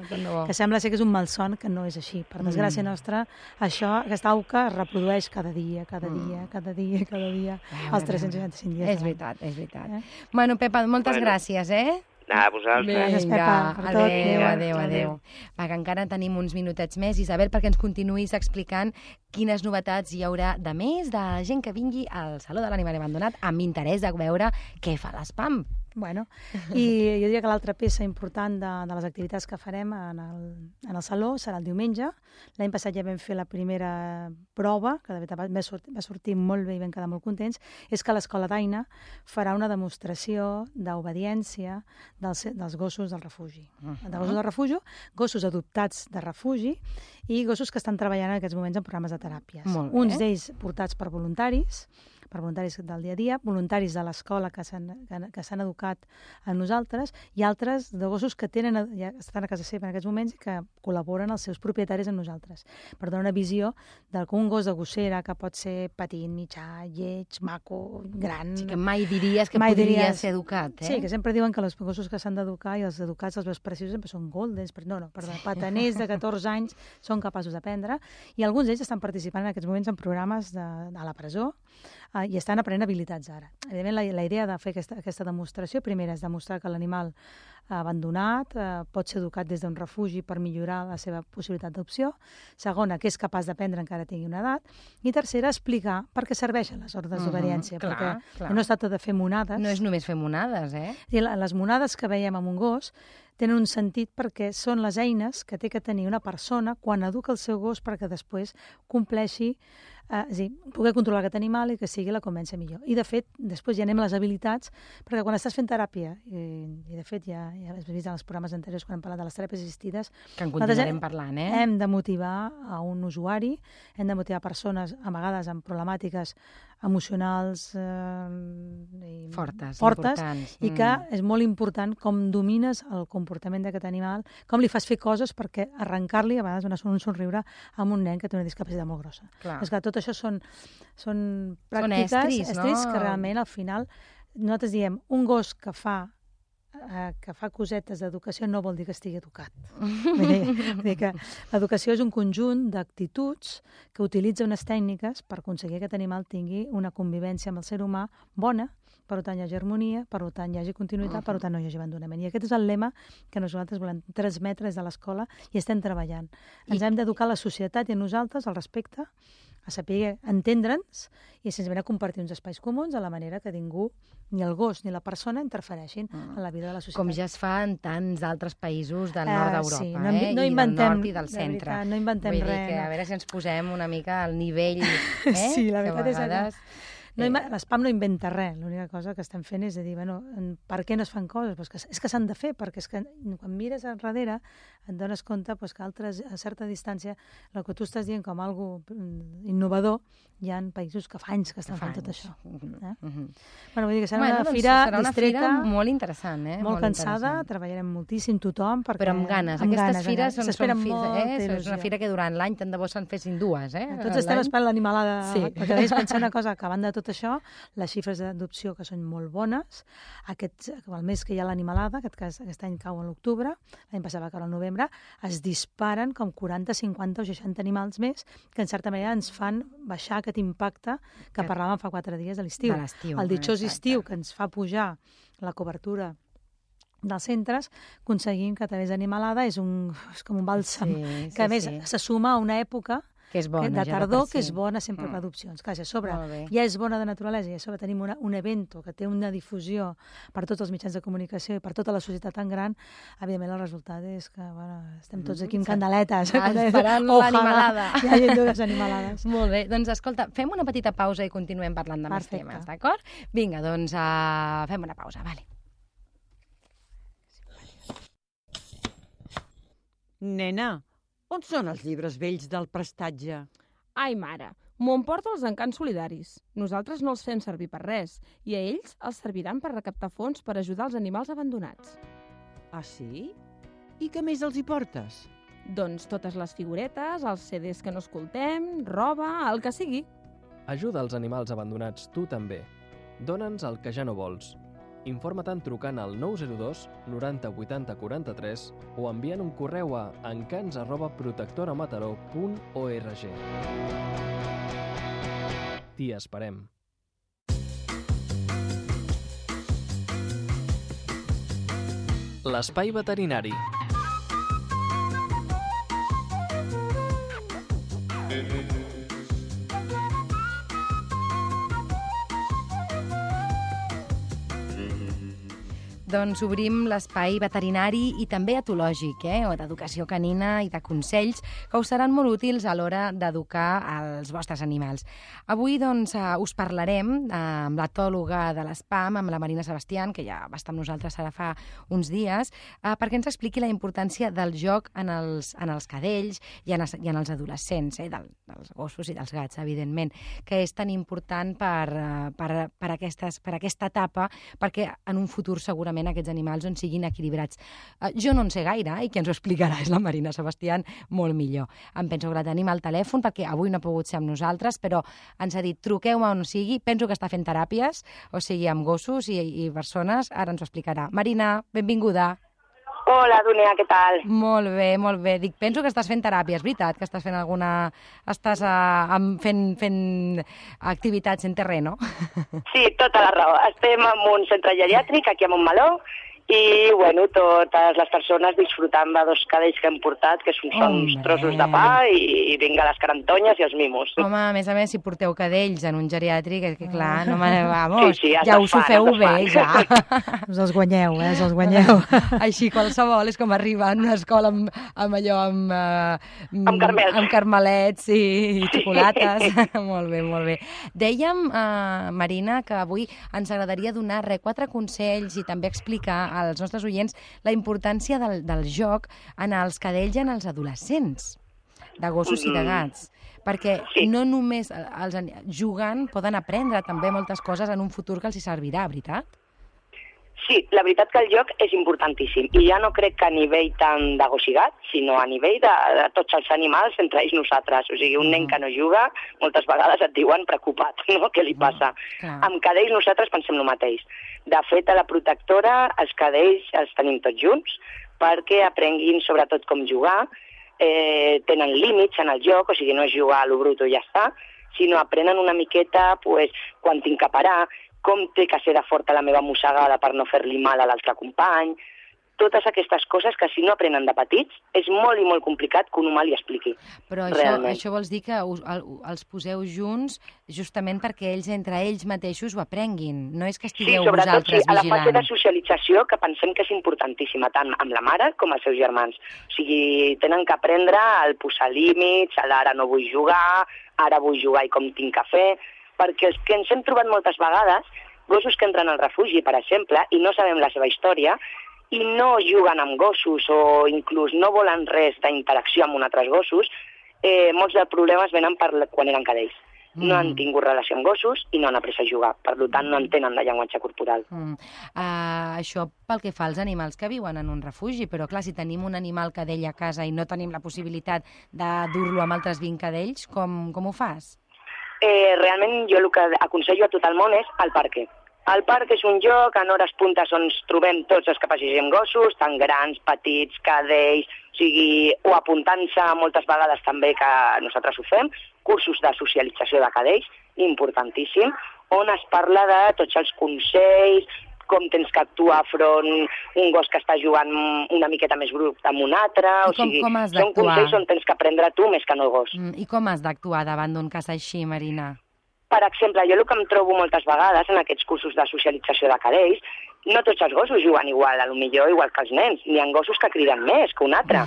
que sembla ser que és un malson, que no és així. Per desgràcia nostra, aquesta auca es reprodueix cada dia, els 365 dies. És veritat. Bueno, Pepa, moltes gràcies, A vosaltres. Gràcies, Pepa. Adéu. Va, que encara tenim uns minutets més, Isabel, perquè ens continuïs explicant quines novetats hi haurà de més de la gent que vingui al Saló de l'Animal Abandonat amb interès de veure què fa l'ESPAM. Bueno, i jo diria que l'altra peça important de les activitats que farem en el Saló serà el diumenge. L'any passat ja vam fer la primera prova, que de veritat va sortir molt bé i vam quedar molt contents, és que l'Escola d'Aina farà una demostració d'obediència dels gossos del refugi. De gossos del refugi, gossos adoptats de refugi i gossos que estan treballant en aquests moments en programes de teràpies. Uns d'ells portats per voluntaris del dia a dia, voluntaris de l'escola que s'han educat a nosaltres, i altres de gossos que ja estan a casa seva en aquests moments i que col·laboren els seus propietaris amb nosaltres, per donar una visió d'un gos de gossera que pot ser petit, mitjà, lleig, maco, gran... Sí, que mai diries que podria ser educat, Sí, que sempre diuen que els gossos que s'han d'educar i els educats, els veus preciosos, sempre són goldens, pataners de 14 anys són capaços d'aprendre, i alguns d'ells estan participant en aquests moments en programes a la presó, i estan aprenent habilitats ara. Evidentment, la idea de fer aquesta demostració, primera, és demostrar que l'animal abandonat pot ser educat des d'un refugi per millorar la seva possibilitat d'opció. Segona, que és capaç d'aprendre encara tingui una edat. I tercera, explicar per què serveixen les ordres d'obediència. Perquè no es tracta de fer monades. No és només fer monades, Les monades que veiem amb un gos tenen un sentit perquè són les eines que té que tenir una persona quan educa el seu gos perquè després compleixi poder controlar aquest animal i que sigui la convència millor. I, de fet, després ja anem a les habilitats, perquè quan estàs fent teràpia, i de fet ja has vist en els programes anteriors quan hem parlat de les teràpies assistides, que en continuarem parlant, hem de motivar a un usuari, hem de motivar persones, a vegades amb problemàtiques emocionals fortes i que és molt important com domines el comportament d'aquest animal, com li fas fer coses perquè arrencar-li a vegades donar un somriure amb un nen que té una discapacitat molt grossa. És que tot això són pràctiques, estris que realment al final nosaltres diem un gos que fa cosetes d'educació no vol dir que estigui educat. Vull dir que l'educació és un conjunt d'actituds que utilitza unes tècniques per aconseguir que aquest animal tingui una convivència amb el ser humà bona, per tant hi hagi harmonia, per tant hi hagi continuïtat, per tant no hi hagi abandonament. I aquest és el lema que nosaltres volem transmetre des de l'escola i estem treballant. Ens hem d'educar la societat i a nosaltres al respecte, a saber entendre'ns i senzillament a compartir uns espais comuns de la manera que ningú, ni el gos ni la persona, interfereixin en la vida de la societat. Com ja es fa en tants altres països del nord d'Europa, sí, no inventem, i del nord i del centre. Veritat, no inventem res. Vull dir que a veure si ens posem una mica al nivell, Sí, la veritat és que l'ESPAM no inventa res, l'única cosa que estem fent és dir, per què no es fan coses? És que s'han de fer, perquè és que quan mires enrere et dones compte que a certa distància el que tu estàs dient com algo innovador hi ha països que fa anys que estan fent tot això. Bueno, vull dir que serà una fira distreta molt interessant, molt cansada, treballarem moltíssim tothom. Però amb ganes. Aquestes fires són una fira que durant l'any tant de bo se'n fessin dues. Tots estem esperant l'animalada, perquè deia pensar una cosa, que a banda de tot això, les xifres d'adopció que són molt bones, el mes que hi ha l'animalada, aquest any cau a l'octubre, l'any passat va caure al novembre, es disparen com 40, 50 o 60 animals més, que en certa manera ens fan baixar aquest impacte que parlàvem fa 4 dies de l'estiu. El ditxós estiu que ens fa pujar la cobertura dels centres, aconseguim que a través d'Animalada és com un bàlsam, que a més se suma a una època de tardor que és bona sempre per adopcions. Clar, si a sobre ja és bona de naturalesa i a sobre tenim un evento que té una difusió per tots els mitjans de comunicació i per tota la societat tan gran, evidentment el resultat és que estem tots aquí amb candeletes. Esperant l'animalada. Hi ha dues animalades. Molt bé, doncs escolta, fem una petita pausa i continuem parlant de més temes, d'acord? Vinga, doncs fem una pausa, vale. Nena, on són els llibres vells del prestatge? Ai, mare, m'ho emporta els encants solidaris. Nosaltres no els fem servir per res i a ells els serviran per recaptar fons per ajudar els animals abandonats. Ah, sí? I què més els hi portes? Doncs totes les figuretes, els CDs que no escoltem, roba, el que sigui. Ajuda els animals abandonats tu també. Dóna'ns el que ja no vols. Informa-te'n trucant al 902 90 80 43 o enviant un correu a encants@protectoramataró.org. T'hi esperem. L'espai veterinari. Doncs obrim l'espai veterinari i també etològic, o d'educació canina i de consells que us seran molt útils a l'hora d'educar els vostres animals. Avui, doncs, us parlarem amb l'etòloga de l'ESPAM, amb la Marina Sebastián, que ja va estar amb nosaltres ara fa uns dies, perquè ens expliqui la importància del joc en els cadells i en els adolescents, dels gossos i dels gats, evidentment, que és tan important per aquesta etapa, perquè en un futur segurament aquests animals on siguin equilibrats. Jo no en sé gaire i qui ens ho explicarà és la Marina Sebastián molt millor. Em penso que la tenim al telèfon perquè avui no ha pogut ser amb nosaltres, però ens ha dit truqueu-me on sigui, penso que està fent teràpies, o sigui amb gossos i persones, ara ens ho explicarà. Marina, benvinguda. Hola, Dúnia, què tal? Molt bé, molt bé. Dic, penso que estàs fent teràpia, és veritat que estàs fent alguna... Estàs fent activitats en terreno? Sí, tota la raó. Estem en un centre geriàtric, aquí a Montmeló, i, bueno, totes les persones disfrutant de 2 cadells que hem portat, que són uns trossos de pa, i vinga les carantonyes i els mimos. Home, a més, si porteu cadells en un geriàtric, que clar, no vamos, ja us ho feu bé, ja. Us els guanyeu, us els guanyeu. Així qualsevol, és com arribar a una escola amb allò, amb carmelets i xocolates. Molt bé, molt bé. Dèiem, Marina, que avui ens agradaria donar 4 consells i també explicar als nostres oients la importància del joc en els cadells i en els adolescents, de gossos i de gats. Perquè no només jugant poden aprendre també moltes coses en un futur que els hi servirà, veritat? Sí, la veritat que el joc és importantíssim. I ja no crec que a nivell tant de gos i gat, sinó a nivell de tots els animals, entre ells nosaltres. O sigui, un nen que no juga, moltes vegades et diuen preocupat, no? Què li passa? Amb cadells nosaltres pensem el mateix. De fet, a la protectora els cadells els tenim tots junts perquè aprenguin sobretot com jugar, tenen límits en el joc, o sigui, no és jugar a lo bruto i ja està, sinó aprenen una miqueta quan tinc que parar, com té que ser de forta la meva mossegada per no fer-li mal a l'altre company. Totes aquestes coses que si no aprenen de petits és molt i molt complicat que un humà li expliqui. Però això vols dir que els poseu junts justament perquè entre ells mateixos ho aprenguin, no és que estigueu vosaltres vigilant. Sí, a la fase de socialització, que pensem que és importantíssima, tant amb la mare com els seus germans. O sigui, tenen que aprendre el posar límits, ara no vull jugar, ara vull jugar i com tinc que fer, perquè els que ens hem trobat moltes vegades, gossos que entren al refugi, per exemple, i no sabem la seva història, i no juguen amb gossos o inclús no volen res d'interacció amb altres gossos, molts dels problemes venen quan eren cadells. no han tingut relació amb gossos i no han après a jugar. Per tant, no entenen de llenguatge corporal. Això pel que fa als animals que viuen en un refugi, però clar, si tenim un animal cadell a casa i no tenim la possibilitat de dur-lo amb altres 20 cadells, com ho fas? Realment jo el que aconsello a tot el món és el parque. El parc és un lloc en hores puntes on ens trobem tots els que passegem gossos, tant grans, petits, cadells, o apuntant-se moltes vegades també que nosaltres ho fem, cursos de socialització de cadells, importantíssim, on es parla de tots els consells, com tens que actuar front un gos que està jugant una miqueta més brut amb un altre, com has són consells on tens que aprendre tu més que no el gos. I com has d'actuar davant d'un cas així, Marina? Per exemple, jo el que em trobo moltes vegades en aquests cursos de socialització de cadells, no tots els gossos juguen igual, potser igual que els nens. N'hi ha gossos que criden més que un altre.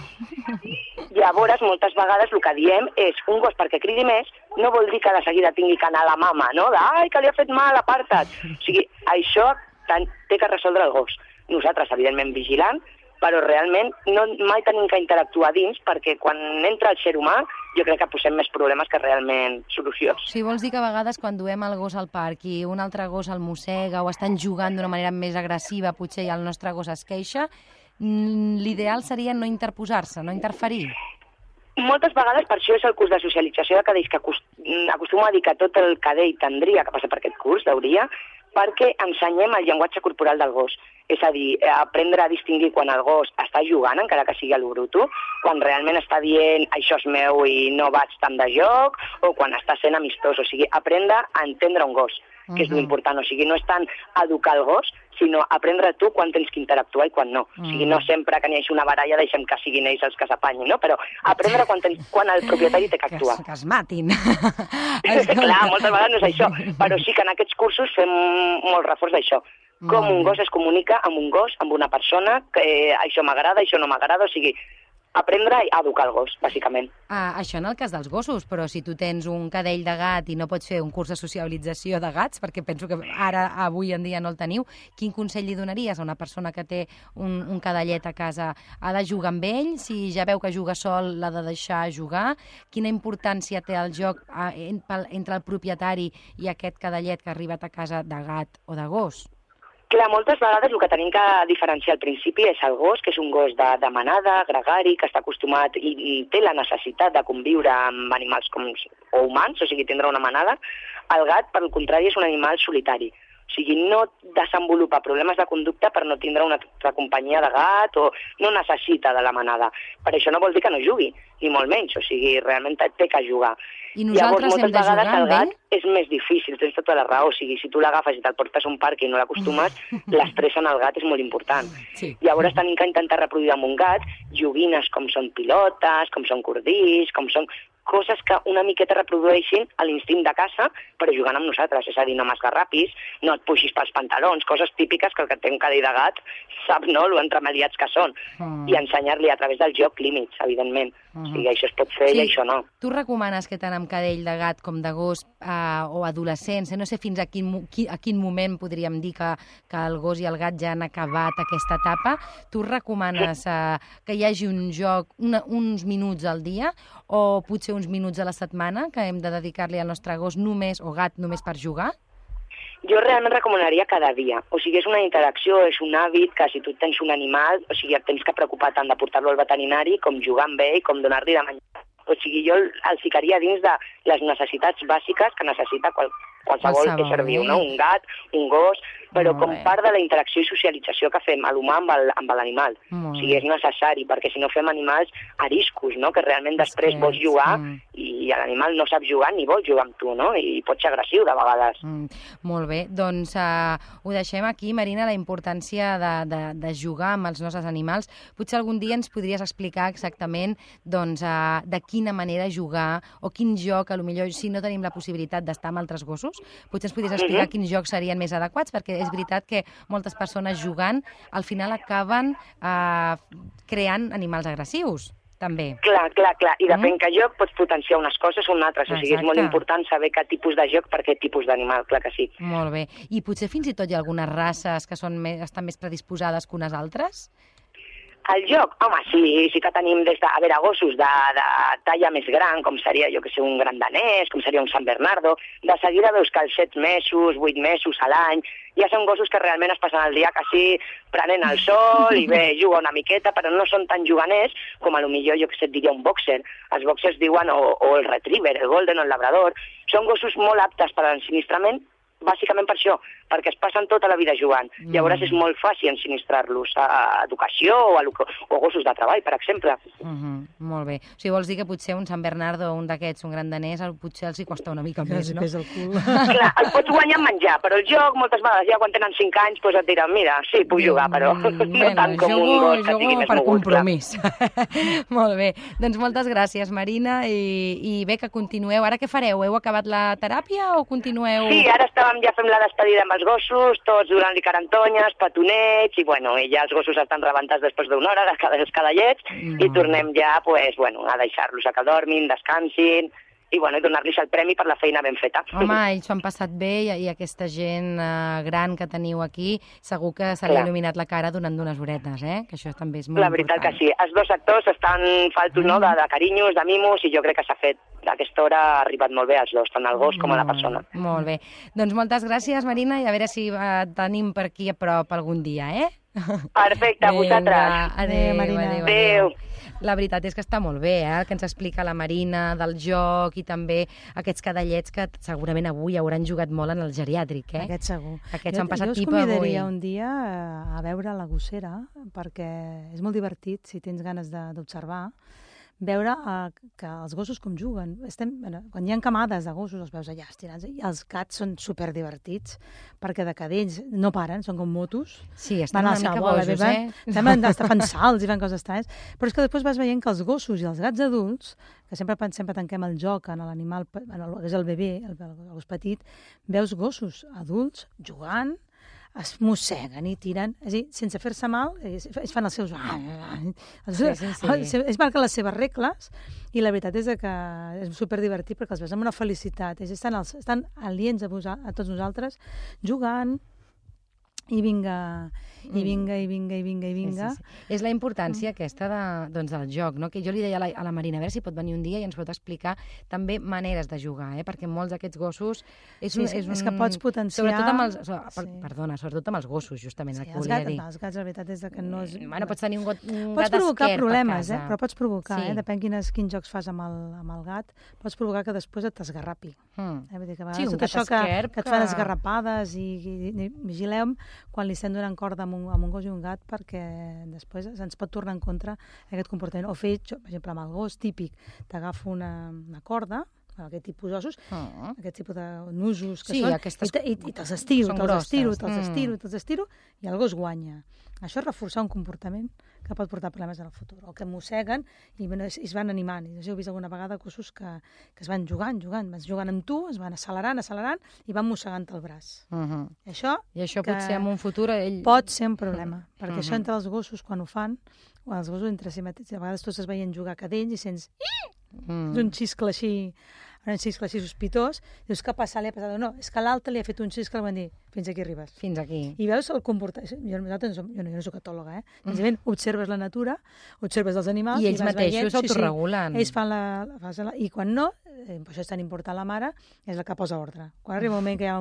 Llavors, moltes vegades el que diem és un gos perquè cridi més no vol dir que de seguida tingui que anar a la mama, no? Ai, que li ha fet mal, aparta't. Això té que resoldre el gos. Nosaltres, evidentment, vigilant, però realment mai tenim que interactuar dins perquè quan entra el ser humà jo crec que posem més problemes que realment solucions. Sí, vols dir que a vegades quan duem el gos al parc i un altre gos el mossega o estan jugant d'una manera més agressiva potser i el nostre gos es queixa, l'ideal seria no interposar-se, no interferir? Moltes vegades, per això és el curs de socialització de cadells que acostumo a dir que tot el cadell tindria que passar per aquest curs, hauria, perquè ensenyem el llenguatge corporal del gos. És a dir, aprendre a distingir quan el gos està jugant, encara que sigui a lo bruto, quan realment està dient això és meu i no vaig tant de joc, o quan està sent amistós. O sigui, aprendre a entendre un gos, que és l'important. O sigui, no és tant educar el gos, sinó aprendre tu quan tens que interactuar i quan no. O sigui, no sempre que n'hi hagi una baralla deixem que siguin ells els que s'apanyin, no? Però aprendre quan el propietari té que actuar. Que es matin. Clar, moltes vegades no és això, però sí que en aquests cursos fem molt reforç d'això. Com un gos es comunica amb un gos, amb una persona, que això m'agrada, això no m'agrada, o sigui, aprendre a educar el gos, bàsicament. Això en el cas dels gossos, però si tu tens un cadell de gat i no pots fer un curs de socialització de gats, perquè penso que ara, avui en dia no el teniu, quin consell li donaries a una persona que té un cadellet a casa? Ha de jugar amb ell? Si ja veu que juga sol, l'ha de deixar jugar? Quina importància té el joc entre el propietari i aquest cadellet que ha arribat a casa de gat o de gos? Clar, moltes vegades el que tenim que diferenciar al principi és el gos, que és un gos de manada, gregari, que està acostumat i té la necessitat de conviure amb animals o humans, o sigui, tindre una manada. El gat, per al contrari, és un animal solitari. O sigui, no desenvolupa problemes de conducta per no tindre una altra companyia de gat o no necessita de la manada. Per això no vol dir que no jugui, ni molt menys. O sigui, realment té que jugar. I nosaltres hem de jugar amb ell? Llavors, moltes vegades el gat és més difícil, tens tota la raó. O sigui, si tu l'agafes i te'l portes a un parc i no l'acostumes, l'estrès en el gat és molt important. Sí. Llavors tenim que intentar reproduir amb un gat joguines com són pilotes, com són cordills, com són coses que una miqueta reprodueixin l'instint de caça, però jugant amb nosaltres. És a dir, no m'esgarrapis, no et puixis pels pantalons, coses típiques que el que té un cadell de gat sap, no?, lo entremaliats que són. I ensenyar-li a través del joc límits, evidentment. O sigui, això es pot fer i això no. Tu recomanes que tant amb cadell de gat com de gos o adolescents, no sé fins a quin moment podríem dir que el gos i el gat ja han acabat aquesta etapa, tu recomanes que hi hagi un joc uns minuts al dia o potser uns minuts a la setmana que hem de dedicar-li al nostre gos només o gat només per jugar? Jo realment recomanaria cada dia. O sigui, és una interacció, és un hàbit que si tu tens un animal, o sigui, et tens que preocupar tant de portar-lo al veterinari com jugar amb ell, com donar-li de menjar. O sigui, jo el ficaria dins de les necessitats bàsiques que necessita qualsevol ésser viu, no? Un gat, un gos, però com part de la interacció i socialització que fem a l'humà amb l'animal. O sigui, és necessari, perquè si no fem animals ariscos, no? Que realment després vols jugar i l'animal no sap jugar ni vol jugar amb tu, no? I pot ser agressiu de vegades. Molt bé, doncs ho deixem aquí, Marina, la importància de jugar amb els nostres animals. Potser algun dia ens podries explicar exactament de quina manera jugar o quin joc, potser si no tenim la possibilitat d'estar amb altres gossos, potser ens podries explicar quins jocs serien més adequats, perquè és veritat que moltes persones jugant al final acaben creant animals agressius, també. Clar. I depèn que joc pots potenciar unes coses o unes altres. O sigui, és molt important saber quin tipus de joc per aquest tipus d'animal, clar que sí. Molt bé. I potser fins i tot hi ha algunes races que estan més predisposades que unes altres? El joc? Home, sí que tenim des de, gossos de talla més gran, com seria, jo que sé, un gran danès, com seria un Sant Bernardo. De seguida veus que als 7 mesos, 8 mesos a l'any, ja són gossos que realment es passen el dia quasi prenent el sol i bé, juga una miqueta, però no són tan juganers com a lo millor, jo que sé, et diria un boxer. Els boxers diuen o el retriever, el golden o el labrador. Són gossos molt aptes per a l'ensinistrament, bàsicament per això, perquè es passen tota la vida jugant. Llavors és molt fàcil ensinistrar-los a educació o gossos de treball, per exemple. Molt bé. O sigui, vols dir que potser un Sant Bernardo o un d'aquests, un gran danès, potser els hi costa una mica més, no? El cul. Clar, el pots guanyar en menjar, però el joc moltes vegades ja quan tenen 5 anys doncs et diran, mira, sí, puc jugar, però no tant com un gos que tingui més per mogut. Compromís. Molt bé. Doncs moltes gràcies, Marina, i bé, que continueu. Ara què fareu? Heu acabat la teràpia o continueu? Sí, ara ja fem la despedida amb els gossos, tots donant-li carantonyes, petonets, i bueno, ja els gossos estan rebentats després d'una hora, dels cadallets, i tornem ja, pues, bueno, a deixar-los a que dormin, descansin, i bueno, donar-los el premi per la feina ben feta. Home, ells s'ho han passat bé i aquesta gent gran que teniu aquí segur que se li ha il·luminat la cara donant unes horetes, que això també és molt important. La veritat que sí. Els dos actors estan faltos no, de carinyos, de mimos, i jo crec que s'ha fet. A aquesta hora ha arribat molt bé als dos, tant el gos com a la persona. Molt bé. Doncs moltes gràcies, Marina, i a veure si tenim per aquí a prop algun dia, Perfecte, a vosaltres. Adéu, Marina. Adéu. La veritat és que està molt bé, el que ens explica la Marina del joc i també aquests cadallets que segurament avui hauran jugat molt en el geriàtric, Aquest segur. Aquests han passat pipa avui. Jo us convidaria avui. un dia a veure la gossera, perquè és molt divertit, si tens ganes d'observar, veure que els gossos com juguen. Quan hi ha camades de gossos els veus allà estirats, i els gats són superdivertits, perquè de cadells no paren, són com motos. Sí, estan una mica bojos, Fan salts i fan coses estranyes. Però és que després vas veient que els gossos i els gats adults, que sempre tanquem el joc en l'animal, que és el bebè, el gos petit, veus gossos adults jugant, es mosseguen i tiren, és a dir, sense fer-se mal, ells fan els seus... Ells marquen les seves regles i la veritat és que és superdivertit perquè els veus amb una felicitat. Ells estan aliens a tots nosaltres, jugant, i vinga. És la importància aquesta del joc, no? Que jo li deia a la Marina, a veure si pot venir un dia i ens pot explicar també maneres de jugar, perquè molts d'aquests gossos... És que pots potenciar... Sobretot amb els gossos, justament, el que volia dir. Els gats, la veritat és que no és... Bueno, pots tenir un gat pots provocar problemes, però pots provocar, depèn quins jocs fas amb el gat, pots provocar que després et esgarrapi. Vull dir que a vegades tot això que et fan esgarrapades i vigileu quan li estem donant corda amb un gos i un gat, perquè després ens pot tornar en contra aquest comportament. O fer, per exemple, amb el gos típic, t'agafo una corda, aquest tipus d'ossos, aquest tipus de nusos que són, i te'ls estiro, i el gos guanya. Això és reforçar un comportament que pot portar problemes en el futur, o que mosseguen i es van animant. I heu vist alguna vegada gossos que es van jugant amb tu, es van accelerant, i van mossegant el braç. I això potser en un futur... Pot ser un problema, perquè això entre els gossos, quan ho fan, o els gossos entre si mateixos, a vegades tots es veien jugar cadells i sents un xiscle així sospitós, dius, què passa? Li ha passat? No, és que l'altre li ha fet un xiscle, van dir, fins aquí arribes. Fins aquí. I veus el comportament... Jo no soc etòloga, senzillament observes la natura, observes els animals... I ells mateixos s'autoregulen. Ells fan i quan no, per això és tan important la mare, és la que posa ordre. Quan arriba un moment que hi ha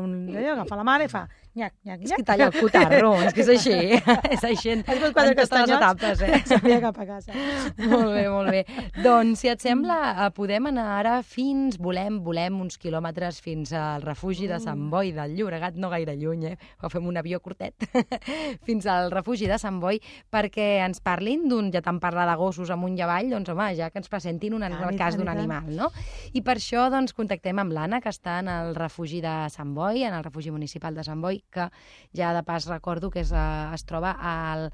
agafa la mare i fa nyac, nyac, nyac. És que talla el cotarro, és que és així. És així en totes les etapes. S'havia cap a casa. Molt bé. Doncs, si et sembla, podem anar ara volem uns quilòmetres fins al refugi de Sant Boi del Llobregat, no gaire lluny, o fem un avió curtet, fins al refugi de Sant Boi, perquè ens parlin ja tant parlar de gossos amunt i avall, doncs home, ja que ens presentin el cas d'un animal, no? I per això doncs contactem amb l'Anna, que està en el refugi de Sant Boi, en el refugi municipal de Sant Boi, que ja de pas recordo que es troba al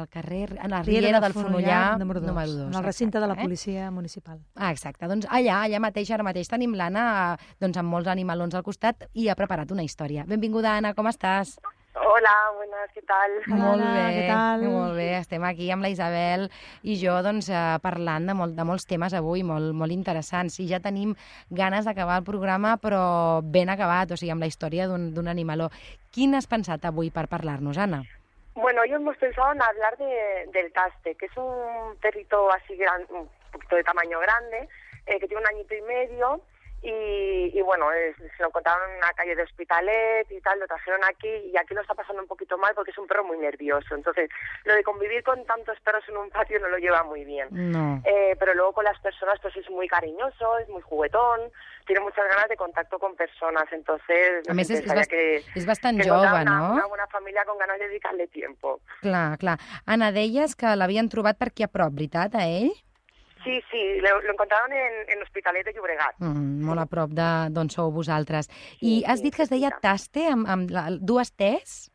carrer, en la Riera del Fonollar, número 2. En el recinte de la policia municipal. Exacte, doncs allà mateix, ara mateix tenim l'Anna, doncs amb molts animalons al costat, i ha preparat una història. Benvinguda, Anna, com estàs? Hola, buenas, ¿qué tal? Molt bé, què tal? Molt bé. Estem aquí amb la Isabel i jo doncs, parlant de molts temes avui, molt interessants. I ja tenim ganes d'acabar el programa, però ben acabat, o sigui, amb la història d'un animaló. Quin has pensat avui per parlar-nos, Anna? Bueno, hoy hemos pensado en hablar del Caste, que es un perrito así grande, un poquito de tamaño grande, que tiene 1 añito y medio. Y bueno, se lo encontraron en una calle de Hospitalet y tal, lo trajeron aquí y aquí lo está pasando un poquito mal porque es un perro muy nervioso. Entonces, lo de convivir con tantos perros en un patio no lo lleva muy bien. No. Pero luego con las personas pues es muy cariñoso, es muy juguetón, tiene muchas ganas de contacto con personas. Entonces, a més, és bastant que jove, no? Una bona família con ganas de dedicar-li tiempo. Clar, clar. Anna, deies que l'havien trobat per aquí a prop, veritat, a ell? Sí, lo encontraron en Hospitalet de Llobregat. Molt a prop d'on sou vosaltres. I has dit que es deia Taste, amb 2 T's?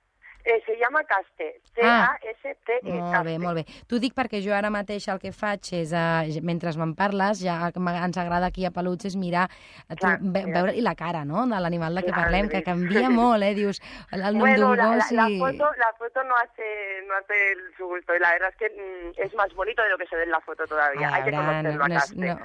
Se llama Caste, C-A-S-T-E. Molt bé. T'ho dic perquè jo ara mateix el que faig és, mentre me'n parles, ja ens agrada aquí a Peluts, és mirar, veure-li la cara, no?, de l'animal de què parlem, que canvia molt, Dius, el nom d'un gos i... La foto no hace su gusto, y la verdad es que es más bonito de lo que se ve en la foto todavía. Hay que conocerlo a Caste.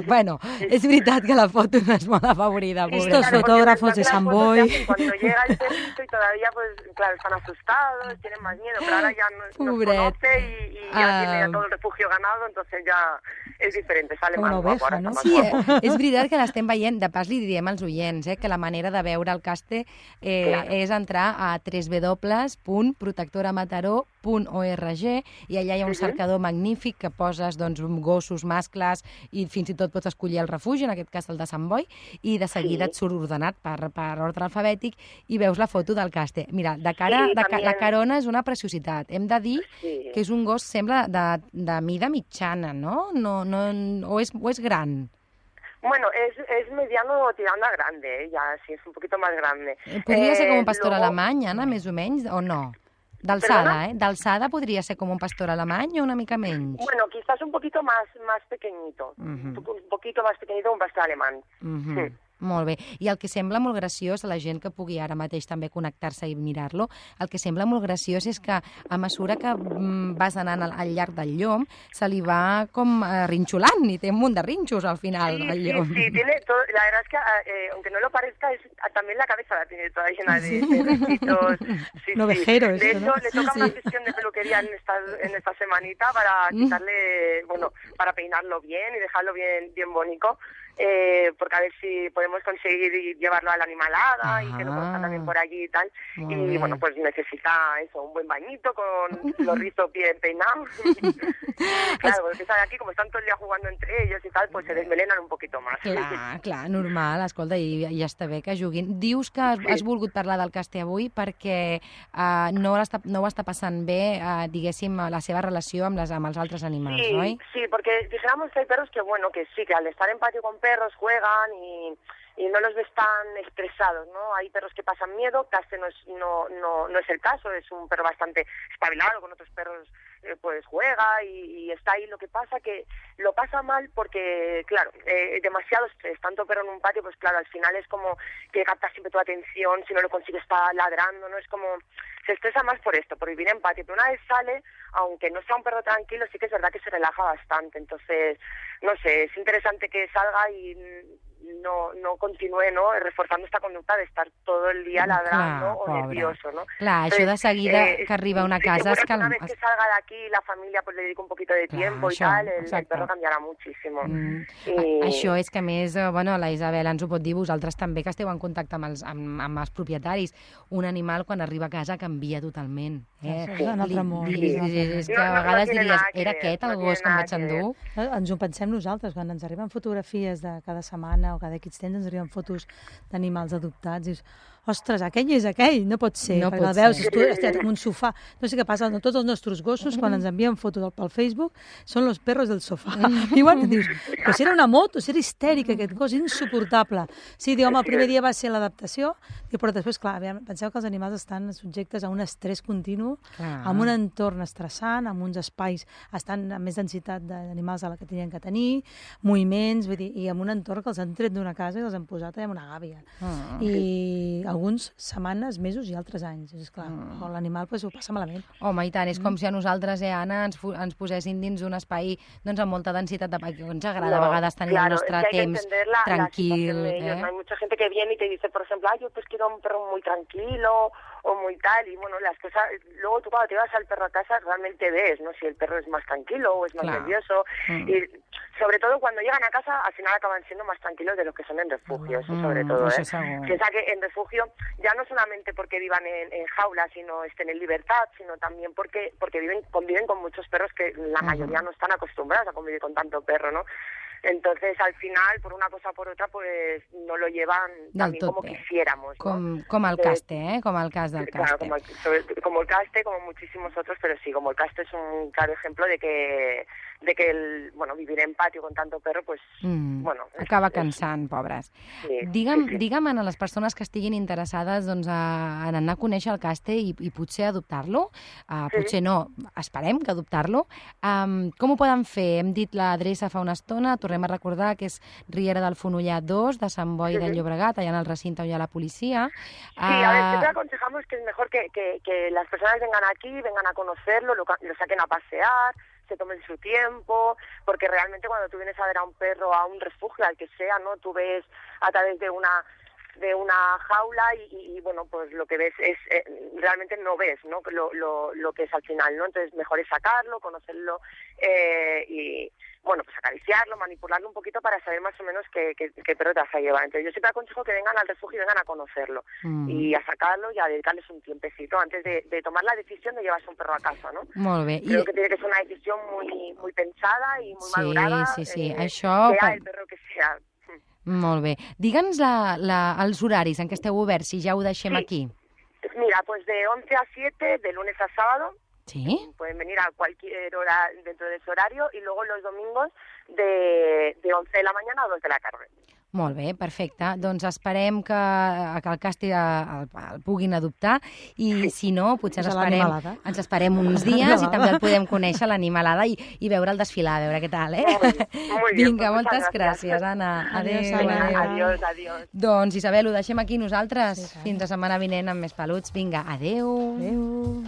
Bueno, és veritat que la foto no és molt afavorida. Estos fotógrafos de Sant Boi... Cuando llega el perrito y todavía, pues, claro, están asustados, tienen más miedo, pero ahora ya nos conoce y ya tiene todo el refugio ganado, entonces ya és diferent, sale más guapo. Ara no? Sí, és veritat que l'estem veient, de pas li diem als oients, que la manera de veure el Caste és entrar a www.protectoramataró.org i allà hi ha un cercador magnífic que poses gossos, mascles i fins i tot pots escollir el refugi, en aquest cas el de Sant Boi, i de seguida et surt ordenat per ordre alfabètic i veus la foto del Caste. Mira, de cara, la carona és una preciositat. Hem de dir que és un gos, sembla, de mida mitjana, no? O es gran? Bueno, es mediano tirando a grande, ya sí, es un poquito más grande. Podria ser com un pastor alemany, Anna, més o menys, o no? D'alçada, D'alçada podria ser com un pastor alemany o una mica menys? Bueno, quizás un poquito más pequeñito. Un poquito más pequeñito un pastor alemán. Sí. Molt bé. I el que sembla molt graciós a la gent que pugui ara mateix també connectar-se i mirar-lo, el que sembla molt graciós és que a mesura que vas anant al llarg del llom, se li va com rinxolant i té un munt de rinxos al final el llom. Sí, tiene todo, la verdad es que aunque no lo parezca, también la cabeza la tiene toda llena de rinchitos. Novejero, de hecho, ¿no? le toca una sesión de peluquería en esta semanita para quitarle, bueno, para peinarlo bien y dejarlo bien bonito. Porque a ver si podemos conseguir llevarlo a la animalada y que lo conozcan también por allí y tal. Y bueno, pues necesita eso, un buen bañito con los rizos bien peinados. Claro, porque saben aquí, como están todo el día jugando entre ellos y tal, pues se desmelenan un poquito más. Clar, normal, escolta, i ja està bé que juguin. Dius que has volgut parlar del Caste avui perquè no ho està passant bé, diguéssim, la seva relació amb els altres animals, oi? Sí, porque dijéramos que hay perros que, bueno, que sí, que al estar en patio con perros juegan y no los ves tan estresados, ¿no? Hay perros que pasan miedo, Caste no es el caso, es un perro bastante espabilado, con otros perros pues juega y está ahí. Lo que pasa que lo pasa mal porque, claro, demasiado estrés, tanto perro en un patio, pues claro, al final es como que capta siempre tu atención, si no lo consigue está ladrando, ¿no? Es como, se estresa más por esto, por vivir en patio, pero una vez sale, aunque no sea un perro tranquilo, sí que es verdad que se relaja bastante, entonces, no sé, es interesante que salga y no continúe, no?, reforzando esta conducta de estar todo el día ladrando o nervioso, ¿no? Clar, això de seguida que arriba a una casa... Sí, una vez que salga de aquí la familia pues le dedica un poquito de tiempo y tal, el perro cambiarà moltíssim. Això és que, a més, la Isabel ens ho pot dir, vosaltres també, que esteu en contacte amb els propietaris. Un animal, quan arriba a casa, canvia totalment. És un altre món. És que a vegades diries, era aquest el gos que em vaig endur? Ens ho pensem nosaltres, quan ens arriben fotografies de cada setmana o cada X temps ens arriben fotos d'animals adoptats i dius, ostres, aquell és aquell, no pot ser, perquè el veus, tu estàs en un sofà. No sé què passa, tots els nostres gossos, quan ens envien fotos pel Facebook, són los perros del sofà. I igual dius, però si era una moto, si era histèric aquest gos, insuportable. Sí, diu, home, el primer dia va ser l'adaptació, però després, clar, penseu que els animals estan subjectes a un estrès continu, amb un entorn estressant, amb uns espais estan amb més densitat d'animals a la que tenien que tenir, moviments, vull dir, i amb un entorn que els han tret d'una casa i els han posat en una gàbia. I alguns setmanes, mesos i altres anys. És clar, l'animal ho passa malament. Home, i tant, és com si a nosaltres, Anna, ens posessin dins d'un espai amb molta densitat de... Ens agrada a vegades tenir el nostre temps tranquil. Hay mucha gente que viene y te dice, por ejemplo, yo pues quiero un perro muy tranquilo o muy tal, y bueno, las cosas, luego tú cuando te vas al perro a casa realmente ves, ¿no? Si el perro es más tranquilo o es más nervioso, y sobre todo cuando llegan a casa al final acaban siendo más tranquilos de los que son en refugio, eso sobre todo, Piensa que en refugio ya no solamente porque vivan en jaulas y no estén en libertad, sino también porque conviven con muchos perros que la mayoría no están acostumbrados a convivir con tanto perro, ¿no? Entonces, al final, por una cosa o por otra, pues no lo llevan también como quisiéramos, ¿no? Com el Caste, com el cas del Caste. Claro, como el Caste, como muchísimos otros, pero sí, como el Caste es un claro ejemplo de que vivir en patio con tanto perro, pues, acaba cansant, pobres. Sí, digue'm a les persones que estiguin interessades en anar a conèixer el Caste i potser adoptar-lo, potser no, esperem que adoptar-lo, com ho poden fer? Hem dit l'adreça fa una estona, tornem a recordar que és Riera del Fonollar 2, de Sant Boi del Llobregat, allà en el recinte on hi ha la policia. Sí, a ver, siempre aconsejamos que es mejor que las personas vengan aquí, vengan a conocerlo, lo saquen a pasear, se tomen su tiempo, porque realmente cuando tú vienes a ver a un perro, a un refugio, al que sea, ¿no? Tú ves a través de una jaula y bueno, pues lo que ves es, realmente no ves, ¿no? Lo que es al final, ¿no? Entonces mejor es sacarlo, conocerlo y, bueno, pues acariciarlo, manipularlo un poquito para saber más o menos qué perro te vas a llevar. Entonces yo siempre aconsejo que vengan al refugio y vengan a conocerlo y a sacarlo y a dedicarles un tiempecito antes de tomar la decisión de llevarse un perro a casa, ¿no? Molt bé. Creo que tiene que ser una decisión muy pensada y muy madurada. Sí. Això... Sea el perro que sea. Molt bé. Digue'ns els horaris en què esteu oberts, si ja ho deixem aquí. Mira, pues de 11 a 7, de lunes a sábado. Sí. Pueden venir a cualquier hora dentro de ese horario y luego los domingos de 11 de la mañana a 2 de la tarde. Molt bé, perfecte. Doncs esperem que el Casti el puguin adoptar i si no, potser ens esperem uns dies i també el podem conèixer, l'animalada, i veure el desfilar, a veure què tal, Vinga, moltes gràcies, Anna. Adéu. Doncs, Isabel, ho deixem aquí nosaltres. Fins la setmana vinent amb més peluts. Vinga, adéu. Adéu.